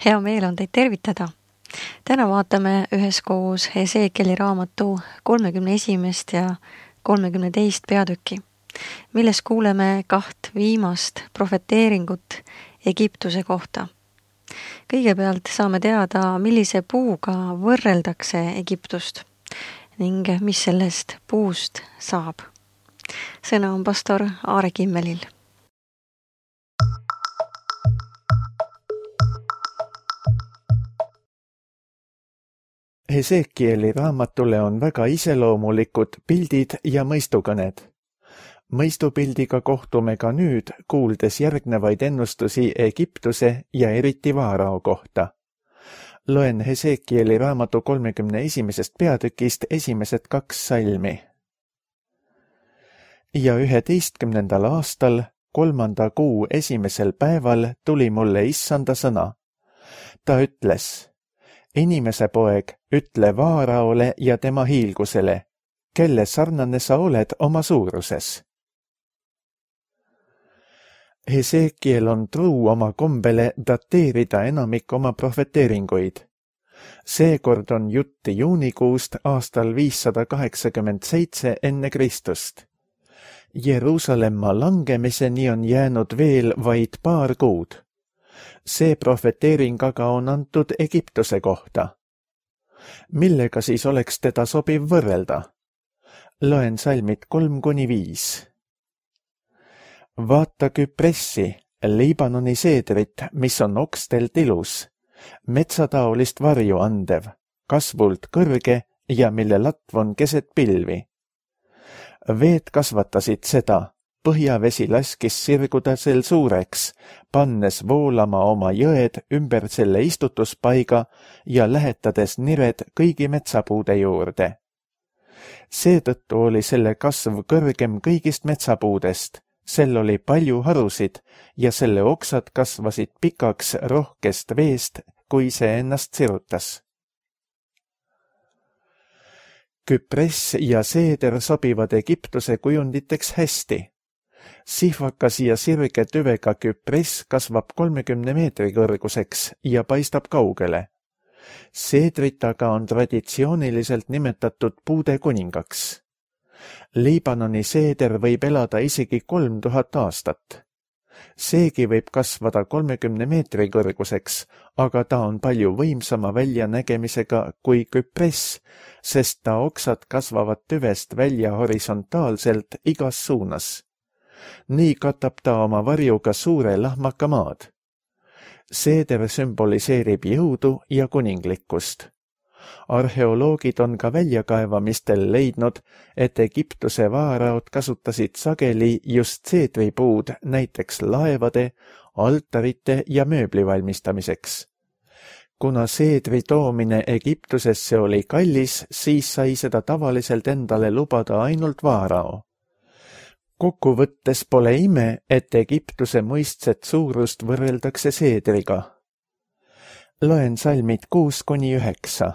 Hea meel on teid tervitada. Täna vaatame üheskoos Hesekieli raamatu 31. ja 32. peatükki, milles kuuleme 2 viimast profeteeringut Egiptuse kohta. Kõigepealt saame teada, millise puuga võrreldakse Egiptust ning mis sellest puust saab. Sõna on pastor Aare Kimmelil. Hesekieli raamatule on väga iseloomulikud pildid ja mõistukõned. Mõistupildiga kohtume ka nüüd, kuuldes järgnevaid ennustusi Egiptuse ja eriti Vaarao kohta. Loen Hesekieli raamatu 31. peatükist esimesed 2 salmi. Ja 11. aastal, 3. kuu 1. päeval tuli mulle issanda sõna. Ta ütles: Inimese poeg, ütle Vaaraole ja tema hiilgusele, kelle sarnane sa oled oma suuruses. Hesekiel on truu oma kombele dateerida enamik oma profeteeringuid. Seekord on jutt juunikuust aastal 587 enne Kristust. Jeruusalemma langemiseni on jäänud veel vaid paar kuud. See profeteering aga on antud Egiptuse kohta. Millega siis oleks teda sobiv võrrelda? Loen salmid 3-5. Vaata Küpressi, Liibanoni seedrit, mis on okstelt ilus, metsataolist varju andev, kasvult kõrge ja mille latv on keset pilvi. Veed kasvatasid seda, põhjavesi laskis sirguda sel suureks, pannes voolama oma jõed ümber selle istutuspaiga ja lähetades nired kõigi metsapuude juurde. Seetõttu oli selle kasv kõrgem kõigist metsapuudest, sel oli palju harusid ja selle oksad kasvasid pikaks rohkest veest, kui see ennast sirutas. Küpress ja seeder sobivad Egiptuse kujunditeks hästi. Sihvakas ja sirge tüvega küpress kasvab 30 meetri kõrguseks ja paistab kaugele. Seedrit aga on traditsiooniliselt nimetatud puude kuningaks. Liibanoni seeder võib elada isegi 3000 aastat. Seegi võib kasvada 30 meetri kõrguseks, aga ta on palju võimsama väljanägemisega kui küpress, sest ta oksad kasvavad tüvest välja horisontaalselt igas suunas. Nii katab ta oma varjuga suure lahmaka maad. Seeder sümboliseerib jõudu ja kuninglikkust. Arheoloogid on ka väljakaevamistel leidnud, et Egiptuse vaaraod kasutasid sageli just seedripuud näiteks laevade, altarite ja mööbli valmistamiseks. Kuna seedri toomine Egiptusesse oli kallis, siis sai seda tavaliselt endale lubada ainult Vaarao. Kokkuvõttes pole ime, et Egiptuse mõistset suurust võrreldakse seedriga. Loen salmid 6-9.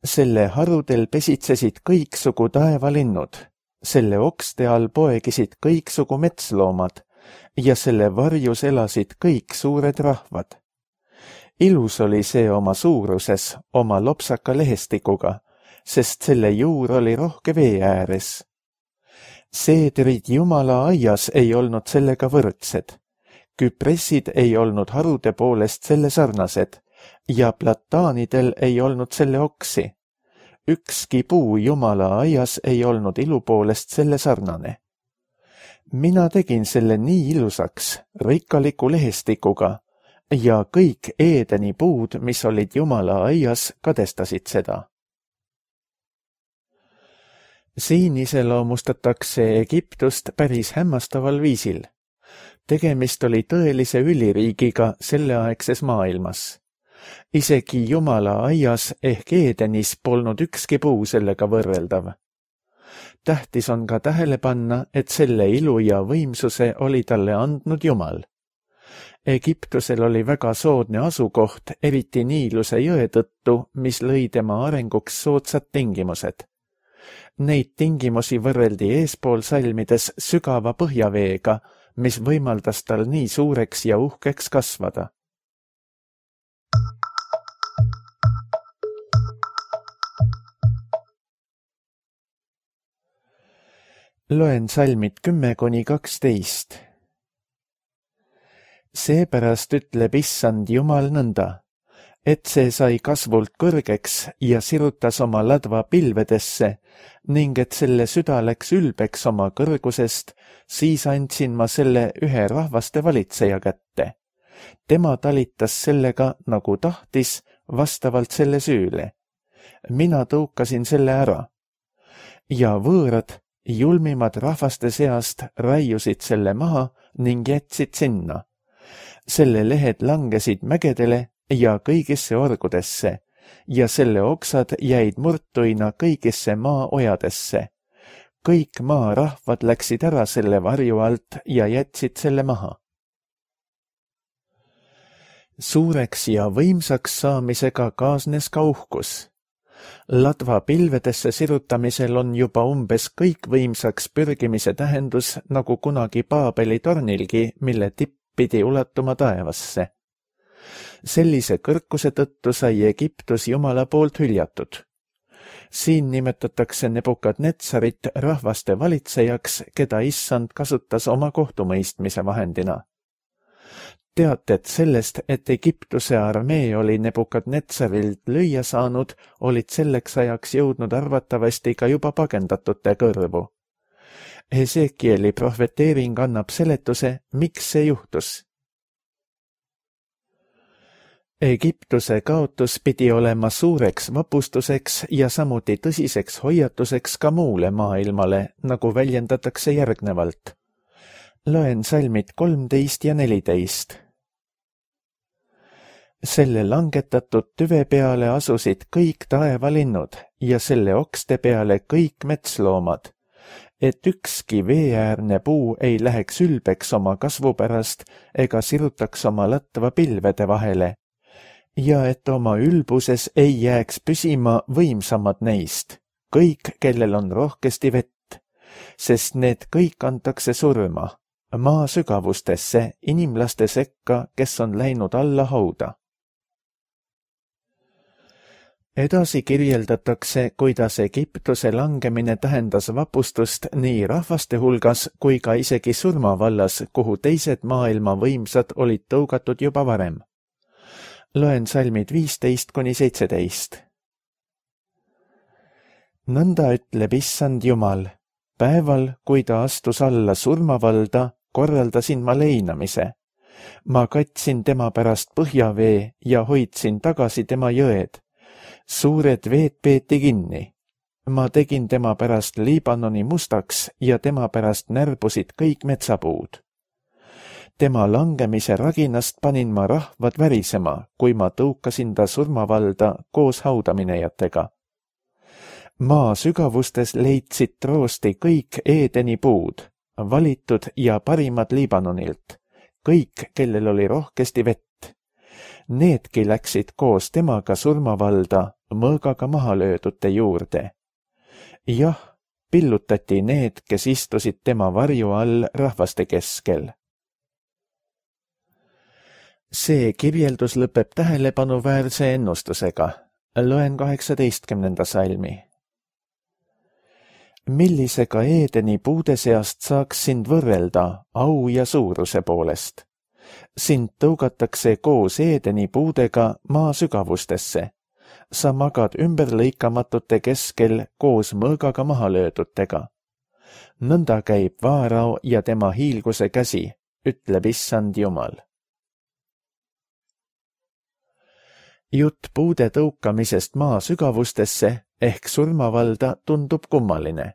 Selle harudel pesitsesid kõiksugu taevalinnud, selle okste all poegisid kõiksugu metsloomad ja selle varjus elasid kõik suured rahvad. Ilus oli see oma suuruses, oma lopsaka lehestikuga, sest selle juur oli rohke vee ääres. Seedrid Jumala aias ei olnud sellega võrdsed. Küpressid ei olnud harude poolest selle sarnased ja plataanidel ei olnud selle oksi. Ükski puu Jumala aias ei olnud ilu poolest selle sarnane. Mina tegin selle nii ilusaks, rikkaliku lehestikuga ja kõik Eedeni puud, mis olid Jumala aias, kadestasid seda. Siin iseloomustatakse Egiptust päris hämmastaval viisil. Tegemist oli tõelise üliriigiga selleaegses maailmas. Isegi Jumala aias ehk Eedenis polnud ükski puu sellega võrreldav. Tähtis on ka tähele panna, et selle ilu ja võimsuse oli talle andnud Jumal. Egiptusel oli väga soodne asukoht, eriti Niiluse jõe tõttu, mis lõi tema arenguks soodsad tingimused. Neid tingimusi võrreldi eespool salmides sügava põhjaveega, mis võimaldas tal nii suureks ja uhkeks kasvada. Loen salmid 10–12. Seepärast ütleb Issand Jumal nõnda, et see sai kasvult kõrgeks ja sirutas oma ladva pilvedesse ning et selle süda läks ülbeks oma kõrgusest, siis andsin ma selle ühe rahvaste valitseja kätte. Tema talitas sellega, nagu tahtis, vastavalt selle süüle. Mina tõukasin selle ära. Ja võõrad, julmimad rahvaste seast raiusid selle maha ning jätsid sinna. Selle lehed langesid mägedele ja kõigisse orgudesse ja selle oksad jäid murtuina kõigisse maaojadesse. Kõik maarahvad läksid ära selle varju alt ja jätsid selle maha. Suureks ja võimsaks saamisega kaasnes ka uhkus. Ladva pilvedesse sirutamisel on juba umbes kõikvõimsaks pürgimise tähendus nagu kunagi Paabeli tornilgi, mille tipp pidi ulatuma taevasse. Sellise kõrkuse tõttu sai Egiptus Jumala poolt hüljatud. Siin nimetatakse Nebukadnetsarit rahvaste valitsejaks, keda Issand kasutas oma kohtumõistmise vahendina. Teated sellest, et Egiptuse armee oli Nebukadnetsarilt lüüa saanud, olid selleks ajaks jõudnud arvatavasti ka juba pagendatute kõrvu. Hesekieli prohveteering annab seletuse, miks see juhtus. Egiptuse kaotus pidi olema suureks vapustuseks ja samuti tõsiseks hoiatuseks ka muule maailmale, nagu väljendatakse järgnevalt. Loen salmid 13 ja 14. Selle langetatud tüve peale asusid kõik taevalinnud ja selle okste peale kõik metsloomad, et ükski veeäärne puu ei läheks ülbeks oma kasvu pärast ega sirutaks oma latva pilvede vahele, ja et oma ülbuses ei jääks püsima võimsamad neist, kõik, kellel on rohkesti vett, sest need kõik antakse surma, maa sügavustesse, inimlaste sekka, kes on läinud alla hauda. Edasi kirjeldatakse, kuidas Egiptuse langemine tähendas vapustust nii rahvaste hulgas kui ka isegi surmavallas, kuhu teised maailma võimsad olid tõugatud juba varem. Loen salmid 15–17. Nõnda ütleb Issand Jumal, päeval, kui ta astus alla surmavalda, korraldasin ma leinamise. Ma katsin tema pärast põhjavee ja hoidsin tagasi tema jõed. Suured veed peeti kinni. Ma tegin tema pärast Liibanoni mustaks ja tema pärast närbusid kõik metsapuud. Tema langemise raginast panin ma rahvad värisema, kui ma tõukasin ta surmavalda koos haudaminejatega. Maa sügavustes leidsid troosti kõik Eedeni puud, valitud ja parimad Liibanonilt, kõik, kellel oli rohkesti vett. Needki läksid koos temaga surmavalda mõõgaga maha löödute juurde. Jah, pillutati need, kes istusid tema varju all rahvaste keskel. See kirjeldus lõpeb tähelepanuväärse ennustusega. Loen 18. salmi. Millisega Eedeni puude seast saaks sind võrrelda au ja suuruse poolest? Sind tõugatakse koos Eedeni puudega maa sügavustesse. Sa magad ümberlõikamatute keskel koos mõõgaga maha löödutega. Nõnda käib Vaarao ja tema hiilguse käsi, ütleb Issand Jumal. Jutt puude tõukamisest maa sügavustesse ehk surmavalda tundub kummaline.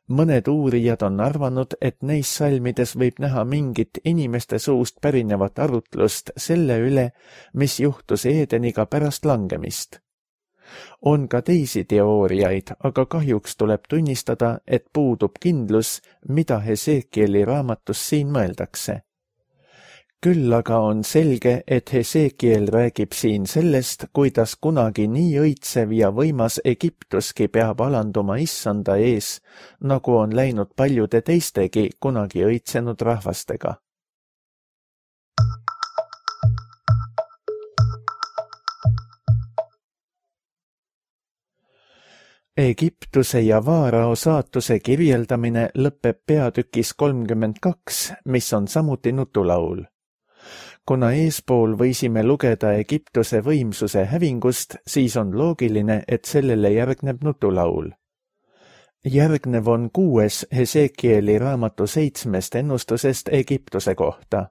Mõned uurijad on arvanud, et neis salmides võib näha mingit inimeste suust pärinevat arutlust selle üle, mis juhtus Eedeniga pärast langemist. On ka teisi teooriaid, aga kahjuks tuleb tunnistada, et puudub kindlus, mida Hesekieli raamatus siin mõeldakse. Küll aga on selge, et Hesekiel räägib siin sellest, kuidas kunagi nii õitsev ja võimas Egiptuski peab alanduma issanda ees, nagu on läinud paljude teistegi kunagi õitsenud rahvastega. Egiptuse ja Vaarao saatuse kirjeldamine lõpeb peatükis 32, mis on samuti nutulaul. Kuna eespool võisime lugeda Egiptuse võimsuse hävingust, siis on loogiline, et sellele järgneb nutulaul. Järgnev on 6. Hesekieli raamatu 7. ennustusest Egiptuse kohta.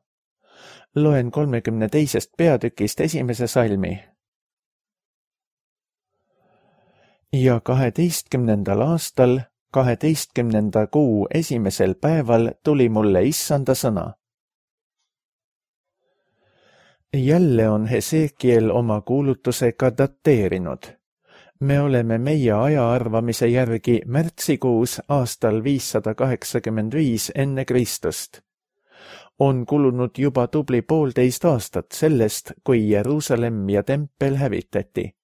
Loen 32. peatükist 1. salmi. Ja 12. aastal, 12. kuu 1. päeval tuli mulle issanda sõna. Jälle on Hesekiel oma kuulutusega dateerinud. Me oleme meie aja arvamise järgi märtsikuus aastal 585 enne Kristust. On kulunud juba tubli 1,5 aastat sellest, kui Jeruusalemm ja tempel hävitati.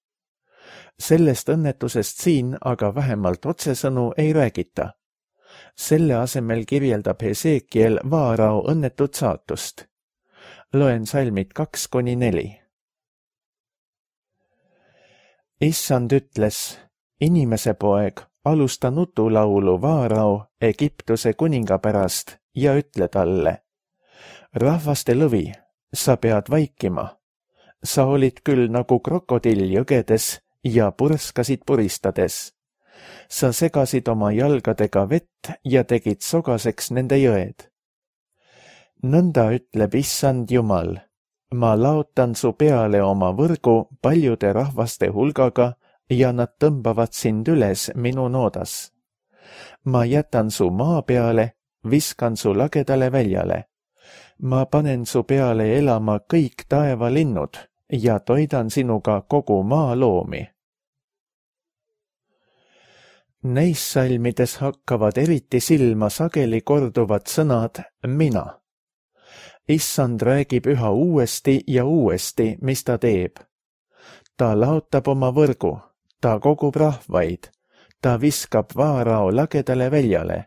Sellest õnnetusest siin aga vähemalt otsesõnu ei räägita. Selle asemel kirjeldab Hesekiel Vaarao õnnetut saatust. Loen salmid 2-4. Issand ütles, inimese poeg, alusta nutulaulu Vaarao Egiptuse kuninga pärast ja ütle talle. Rahvaste lõvi, sa pead vaikima. Sa olid küll nagu krokodill jõgedes ja purskasid puristades. Sa segasid oma jalgadega vett ja tegid sogaseks nende jõed. Nõnda ütleb issand Jumal, ma laotan su peale oma võrgu paljude rahvaste hulgaga ja nad tõmbavad sind üles minu noodas. Ma jätan su maa peale, viskan su lagedale väljale. Ma panen su peale elama kõik taevalinnud ja toidan sinuga kogu maa loomi. Neis salmides hakkavad eriti silma sageli korduvad sõnad mina. Issand räägib üha uuesti ja uuesti, mis ta teeb. Ta laotab oma võrgu, ta kogub rahvaid, ta viskab Vaarao lagedale väljale,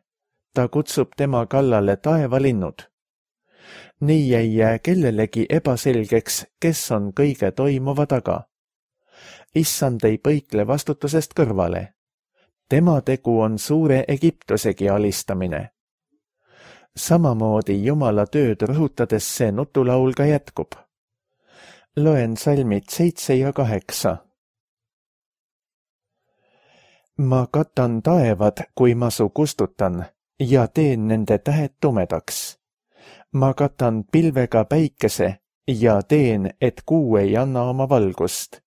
ta kutsub tema kallale taevalinnud. Nii ei jää kellelegi ebaselgeks, kes on kõige toimuva taga. Issand ei põikle vastutusest kõrvale. Tema tegu on suure Egiptusegi alistamine. Samamoodi Jumala tööd rõhutades see nutulaul ka jätkub. Loen salmid 7 ja 8. Ma katan taevad, kui ma su kustutan, ja teen nende tähed tumedaks. Ma katan pilvega päikese ja teen, et kuu ei anna oma valgust.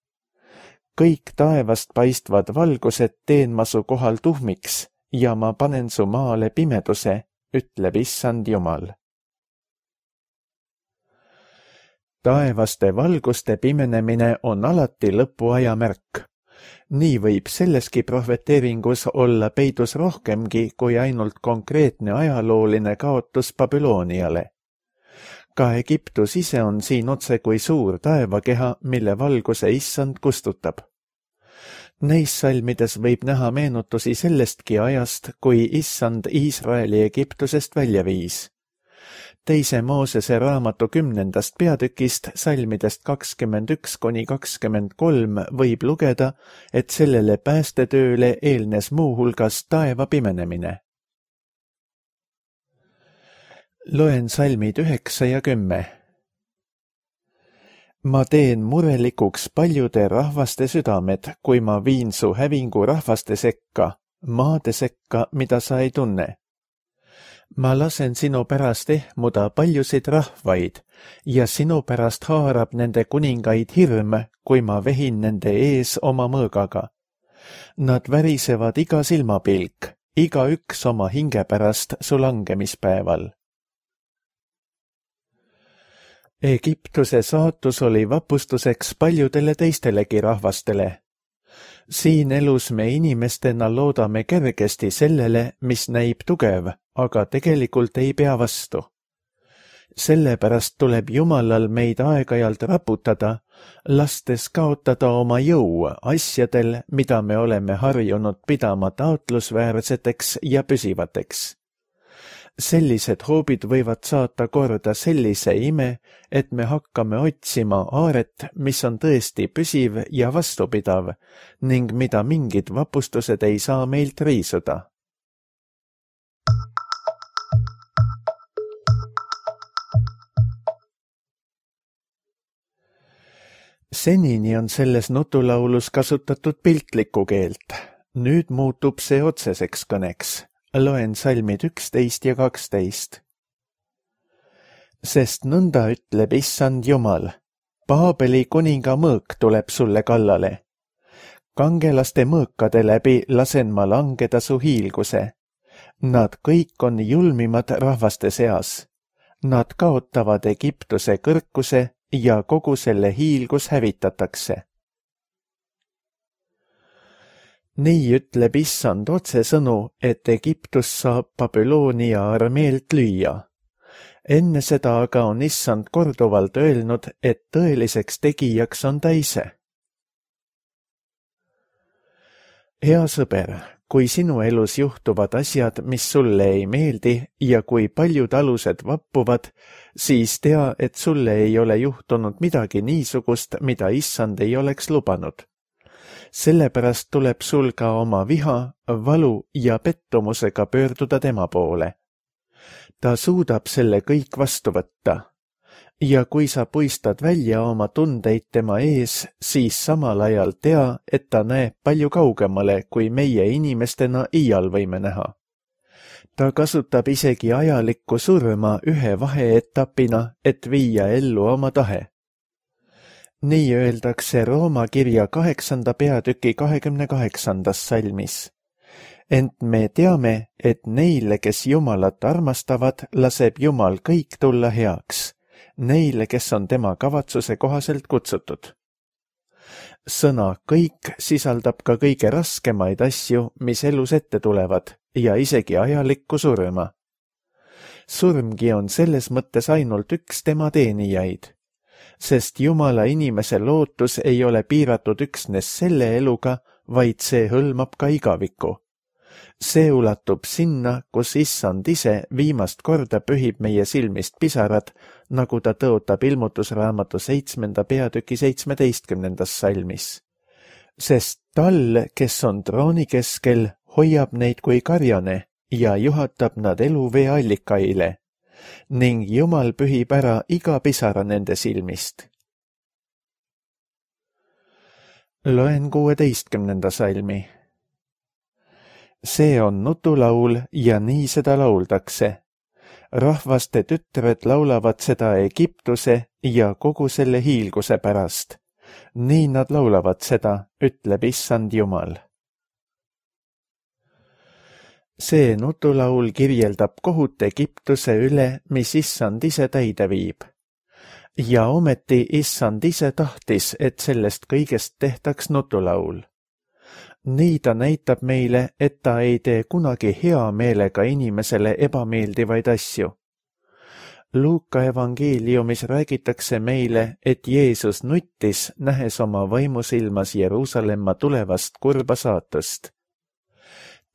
Kõik taevast paistvad valgused teen ma su kohal tuhmiks ja ma panen su maale pimeduse, ütleb issand Jumal. Taevaste valguste pimenemine on alati lõpuaja märk. Nii võib selleski prohveteeringus olla peidus rohkemgi kui ainult konkreetne ajalooline kaotus Babyloniale. Ka Egiptus ise on siin otse kui suur taevakeha, mille valguse issand kustutab. Neis salmides võib näha meenutusi sellestki ajast, kui issand Iisraeli Egiptusest välja viis. 2. Moosese raamatu 10. peatükist salmidest 21-23 võib lugeda, et sellele päästetööle eelnes muu hulgas taeva pimenemine. Loen salmid 9 ja 10. Ma teen murelikuks paljude rahvaste südamed, kui ma viin su hävingu rahvaste sekka, maade sekka, mida sa ei tunne. Ma lasen sinu pärast ehmuda paljusid rahvaid ja sinu pärast haarab nende kuningaid hirm, kui ma vehin nende ees oma mõõgaga. Nad värisevad iga silmapilk, igaüks oma hinge pärast su langemispäeval. Egiptuse saatus oli vapustuseks paljudele teistelegi rahvastele. Siin elus me inimestena loodame kergesti sellele, mis näib tugev, aga tegelikult ei pea vastu. Sellepärast tuleb Jumalal meid aeg-ajalt raputada, lastes kaotada oma jõu asjadel, mida me oleme harjunud pidama taotlusväärseteks ja püsivateks. Sellised hoobid võivad saata korda sellise ime, et me hakkame otsima aaret, mis on tõesti püsiv ja vastupidav ning mida mingid vapustused ei saa meilt riisuda. Senini on selles nutulaulus kasutatud piltlikku keelt. Nüüd muutub see otseseks kõneks. Loen salmid 11 ja 12. Sest nõnda ütleb Issand Jumal, Paabeli kuninga mõõk tuleb sulle kallale. Kangelaste mõõkade läbi lasen ma langeda su hiilguse. Nad kõik on julmimad rahvaste seas. Nad kaotavad Egiptuse kõrkuse ja kogu selle hiilgus hävitatakse. Nii ütleb Issand otsesõnu, et Egiptus saab Babyloonia armeelt lüüa. Enne seda aga on Issand korduvalt öelnud, et tõeliseks tegijaks on ta ise. Hea sõber, kui sinu elus juhtuvad asjad, mis sulle ei meeldi ja kui paljud alused vappuvad, siis tea, et sulle ei ole juhtunud midagi niisugust, mida Issand ei oleks lubanud. Sellepärast tuleb sul ka oma viha, valu ja pettumusega pöörduda tema poole. Ta suudab selle kõik vastu võtta. Ja kui sa puistad välja oma tundeid tema ees, siis samal ajal tea, et ta näeb palju kaugemale, kui meie inimestena iial võime näha. Ta kasutab isegi ajalikku surma ühe vaheetapina, et viia ellu oma tahe. Nii öeldakse Rooma kirja 8. peatüki 28. salmis. Ent me teame, et neile, kes Jumalat armastavad, laseb Jumal kõik tulla heaks, neile, kes on tema kavatsuse kohaselt kutsutud. Sõna kõik sisaldab ka kõige raskemaid asju, mis elus ette tulevad, ja isegi ajalikku surma. Surmgi on selles mõttes ainult üks tema teenijaid. Sest Jumala inimese lootus ei ole piiratud üksnes selle eluga, vaid see hõlmab ka igavikku. See ulatub sinna, kus Issand ise viimast korda pühib meie silmist pisarad, nagu ta tõotab ilmutusraamatu 7. peatüki 17. salmis. Sest tal, kes on trooni keskel, hoiab neid kui karjane ja juhatab nad eluvee allikaile. Ning Jumal pühib ära iga pisara nende silmist. Loen 16. salmi. See on nutulaul ja nii seda lauldakse. Rahvaste tütred laulavad seda Egiptuse ja kogu selle hiilguse pärast. Nii nad laulavad seda, ütleb Issand Jumal. See nutulaul kirjeldab kohut Egiptuse üle, mis Issand ise täide viib. Ja ometi Issand ise tahtis, et sellest kõigest tehtaks nutulaul. Nii ta näitab meile, et ta ei tee kunagi hea meelega inimesele ebameeldivaid asju. Luuka evangeeliumis räägitakse meile, et Jeesus nuttis, nähes oma vaimusilmas Jeruusalemma tulevast kurba saatust.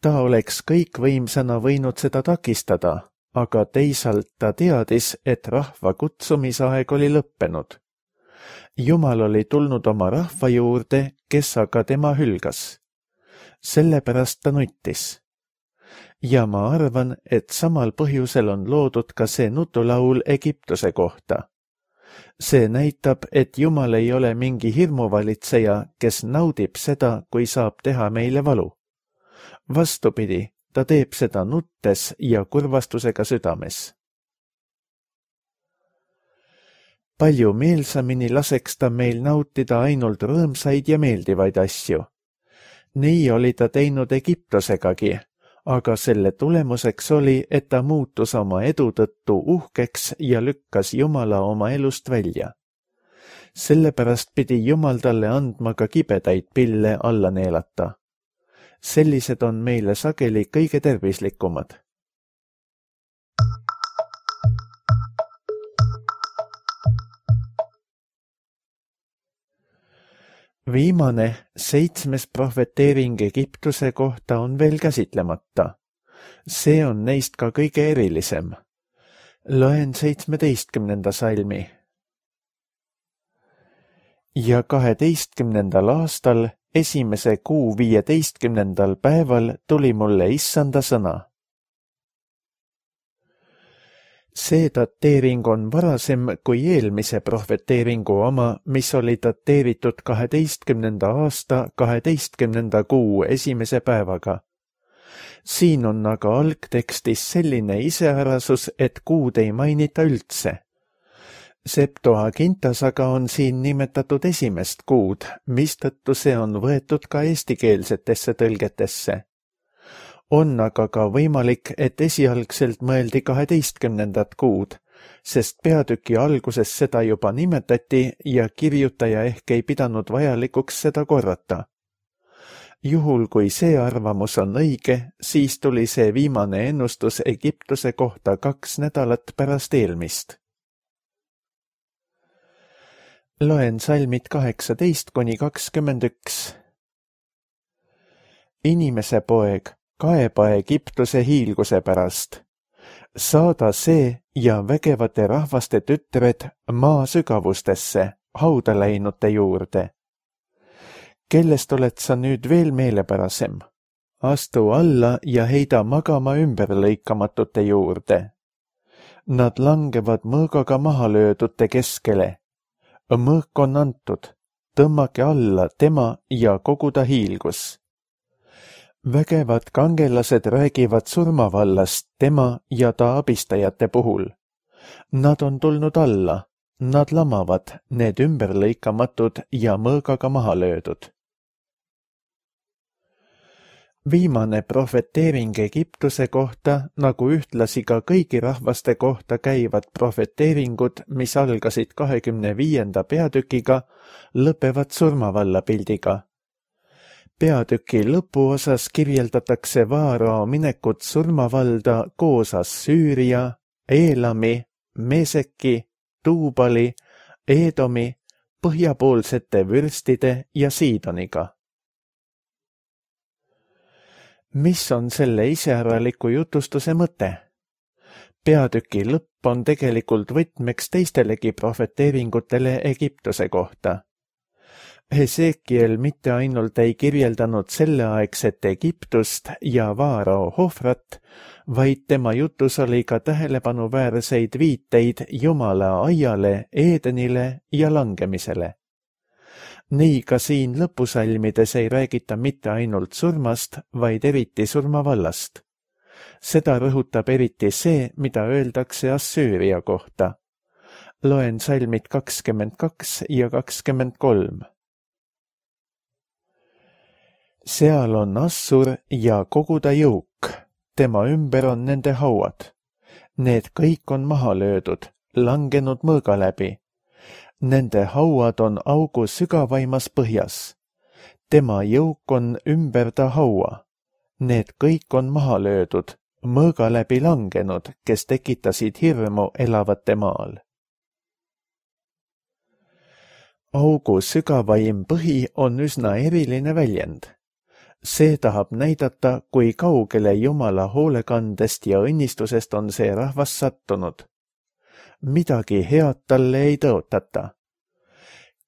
Ta oleks kõikvõimsana võinud seda takistada, aga teisalt ta teadis, et rahva kutsumisaeg oli lõppenud. Jumal oli tulnud oma rahva juurde, kes aga tema hülgas. Sellepärast ta nuttis. Ja ma arvan, et samal põhjusel on loodud ka see nutulaul Egiptuse kohta. See näitab, et Jumal ei ole mingi hirmuvalitseja, kes naudib seda, kui saab teha meile valu. Vastupidi, ta teeb seda nuttes ja kurvastusega südames. Palju meelsamini laseks ta meil nautida ainult rõõmsaid ja meeldivaid asju. Nii oli ta teinud Egiptusegagi, aga selle tulemuseks oli, et ta muutus oma edu tõttu uhkeks ja lükkas Jumala oma elust välja. Sellepärast pidi Jumal talle andma ka kibedaid pille alla neelata. Sellised on meile sageli kõige tervislikumad. Viimane 7. prohveteering Egiptuse kohta on veel käsitlemata. See on neist ka kõige erilisem. Loen 17. salmi. Ja 12. aastal 1. kuu 15. päeval tuli mulle issanda sõna. See dateering on varasem kui eelmise prohveteeringu oma, mis oli dateeritud 12. aasta 12. kuu 1. päevaga. Siin on aga algtekstis selline iseärasus, et kuud ei mainita üldse. Septuagintas aga on siin nimetatud 1. kuud, mistõttu see on võetud ka eestikeelsetesse tõlgetesse. On aga ka võimalik, et esialgselt mõeldi 12. kuud, sest peatüki alguses seda juba nimetati ja kirjutaja ehk ei pidanud vajalikuks seda korrata. Juhul kui see arvamus on õige, siis tuli see viimane ennustus Egiptuse kohta 2 nädalat pärast eelmist. Loen salmid 18-21. Inimese poeg, kaeba Egiptuse hiilguse pärast. Saada see ja vägevate rahvaste tütred maa sügavustesse, hauda läinute juurde. Kellest oled sa nüüd veel meelepärasem? Astu alla ja heida magama ümberlõikamatute juurde. Nad langevad mõõgaga maha löödute keskele. Mõõk on antud, tõmmake alla tema ja kogu ta hiilgus. Vägevad kangelased räägivad surmavallast tema ja ta abistajate puhul. Nad on tulnud alla, nad lamavad, need ümberlõikamatud ja mõõgaga maha löödud. Viimane prohveteering Egiptuse kohta, nagu ühtlasi ka kõigi rahvaste kohta käivad prohveteeringud, mis algasid 25. peatükiga, lõpevad surmavalla pildiga. Peatüki lõpuosas kirjeldatakse Vaarao minekut surmavalda koos Assüüria, Eelami, Meseki, Tuubali, Eedomi, põhjapoolsete vürstide ja Siidoniga. Mis on selle iseäraliku jutustuse mõte? Peatüki lõpp on tegelikult võtmeks teistelegi prohveteeringutele Egiptuse kohta. Hesekiel mitte ainult ei kirjeldanud selleaegset Egiptust ja Vaarao Hofrat, vaid tema jutus oli ka tähelepanuväärseid viiteid Jumala aiale, Eedenile ja langemisele. Nii ka siin lõpusalmides ei räägita mitte ainult surmast, vaid eriti surmavallast. Seda rõhutab eriti see, mida öeldakse Assüüria kohta. Loen salmid 22 ja 23. Seal on Assur ja kogu ta jõuk, tema ümber on nende hauad. Need kõik on maha löödud, langenud mõõga läbi. Nende hauad on augu sügavaimas põhjas. Tema jõuk on ümber ta haua. Need kõik on maha löödud, mõõga läbi langenud, kes tekitasid hirmu elavate maal. Augu sügavaim põhi on üsna eriline väljend. See tahab näidata, kui kaugele Jumala hoolekandest ja õnnistusest on see rahvas sattunud. Midagi head talle ei tõotata.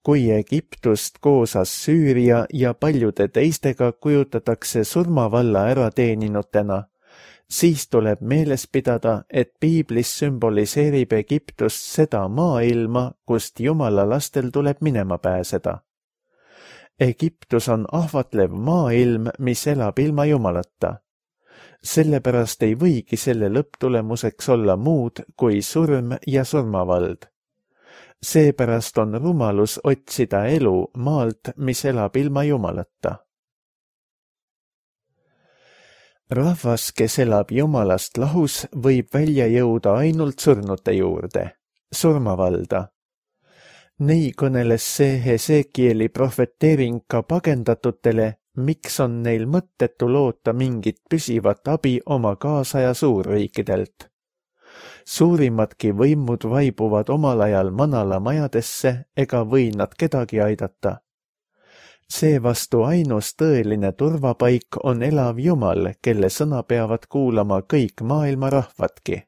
Kui Egiptust koos Assüüria ja paljude teistega kujutatakse surmavalla ärateeninutena, siis tuleb meeles pidada, et piiblis sümboliseerib Egiptust seda maailma, kust Jumala lastel tuleb minema pääseda. Egiptus on ahvatlev maailm, mis elab ilma Jumalata. Sellepärast ei võigi selle lõpptulemuseks olla muud kui surm ja surmavald. Seepärast on rumalus otsida elu maalt, mis elab ilma Jumalata. Rahvas, kes elab Jumalast lahus, võib välja jõuda ainult surnute juurde, surmavalda. Nii kõneles see Hesekieli prohveteering ka pagendatutele, miks on neil mõttetu loota mingit püsivat abi oma kaasaja suurriikidelt. Suurimadki võimud vaibuvad omal ajal manala majadesse ega või nad kedagi aidata. Seevastu ainus tõeline turvapaik on elav Jumal, kelle sõna peavad kuulama kõik maailma rahvadki.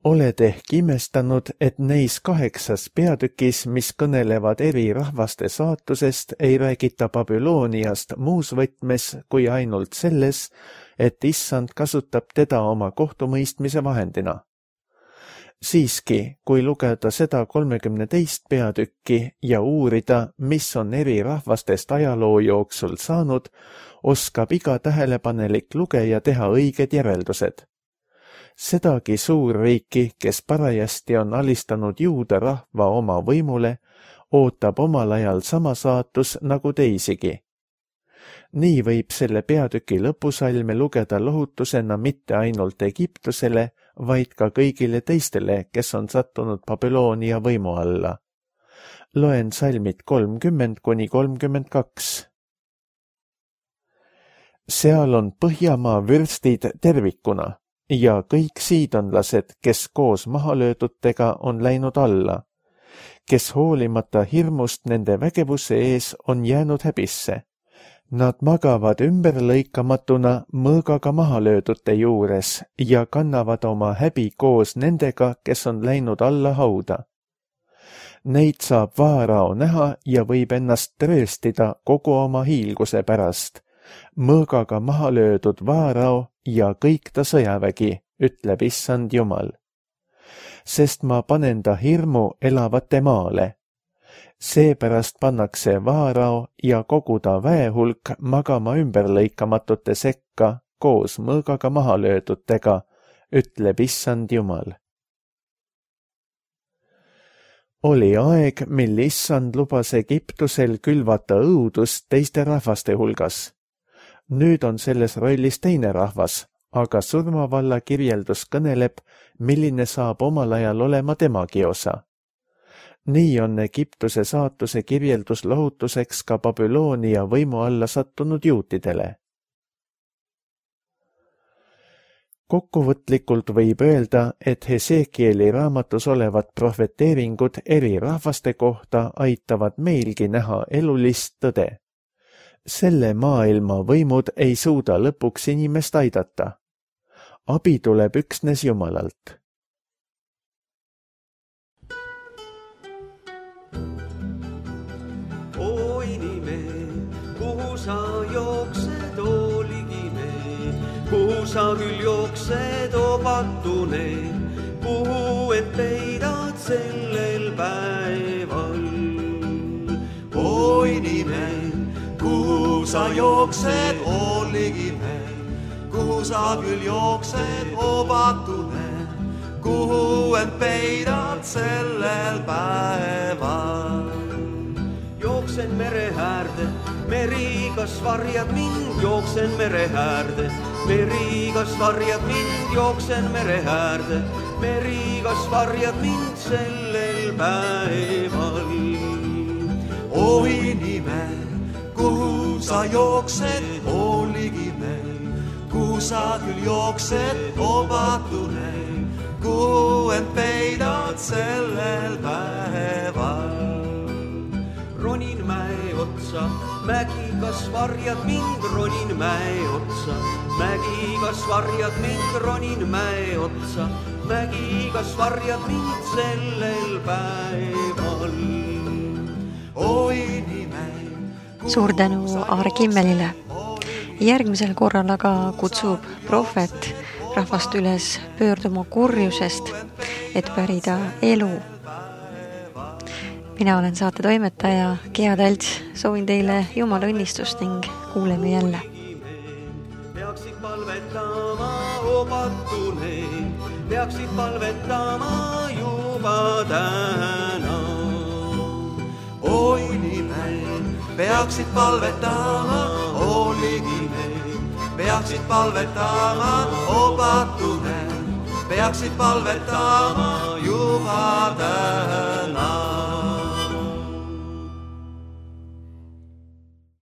Oled ehk imestanud, et neis 8 peatükis, mis kõnelevad eri rahvaste saatusest, ei räägita Babyloniast muus võtmes kui ainult selles, et Issand kasutab teda oma kohtumõistmise vahendina. Siiski, kui lugeda seda 32 peatükki ja uurida, mis on eri rahvastest ajaloo jooksul saanud, oskab iga tähelepanelik lugeja teha õiged järeldused. Sedagi suurriiki, kes parajasti on alistanud juuda rahva oma võimule, ootab omal ajal sama saatus nagu teisigi. Nii võib selle peatüki lõpusalme lugeda lohutusena mitte ainult Egiptusele, vaid ka kõigile teistele, kes on sattunud Babyloonia võimu alla. Loen salmid 30–32. Seal on Põhjamaa vürstid tervikuna ja kõik siidonlased, kes koos mahalöödutega on läinud alla, kes hoolimata hirmust nende vägevuse ees on jäänud häbisse. Nad magavad ümberlõikamatuna mõõgaga mahalöödute juures ja kannavad oma häbi koos nendega, kes on läinud alla hauda. Neid saab Vaarao näha ja võib ennast trööstida kogu oma hiilguse pärast. Mõõgaga mahalöödud Vaarao ja kõik ta sõjavägi, ütleb Issand Jumal. Sest ma panen ta hirmu elavate maale. Seepärast pannakse Vaarao ja kogu ta väehulk magama ümberlõikamatute sekka koos mõõgaga mahalöödutega, ütleb Issand Jumal. Oli aeg, mil Issand lubas Egiptusel külvata õudust teiste rahvaste hulgas. Nüüd on selles rollis teine rahvas, aga surmavalla kirjeldus kõneleb, milline saab omal ajal olema temagi osa. Nii on Egiptuse saatuse kirjeldus lohutuseks ka Babyloonia võimu alla sattunud juutidele. Kokkuvõtlikult võib öelda, et Hesekieli raamatus olevad profeteeringud eri rahvaste kohta aitavad meilgi näha elulist tõde. Selle maailma võimud ei suuda lõpuks inimest aidata. Abi tuleb üksnes Jumalalt. O inimene, kuhu sa jooksed, o ligine, kuhu sa küll jooksed, o patune, kuhu end peidad sellel päeval. O inimene, kuhu sa jooksed, o ligime, kuhu sa küll jooksed, o patune, kuhu end peidad sellel päeval. Jooksen mere äärde, meri, kas varjad mind, jooksen mere äärde, meri, kas varjad mind, jooksen mere äärde, meri, kas varjad mind sellel päeval. O inimene, kuhu sa jooksed, o ligime, kuhu sa küll jooksed, o patune, kuhu end peidad sellel päeval. Ronin mäe otsa, mägi, kas varjad mind, ronin mäe otsa, mägi, kas varjad mind, ronin mäe otsa, mägi, kas varjad mind sellel päeval. O inimene, suur tänu Aar Kimmelile. Järgmisel korral aga kutsub prohvet rahvast üles pöörduma kurjusest, et pärida elu. Mina olen saate toimetaja Gea Talts, soovin teile Jumala õnnistust ning kuuleme jälle. Peaksid palvetama, o patune, peaksid palvetama juba täna. O inimene, peaksid palvetama, o ligime, peaksid palvetama, o patune, peaksid palvetama juba täna.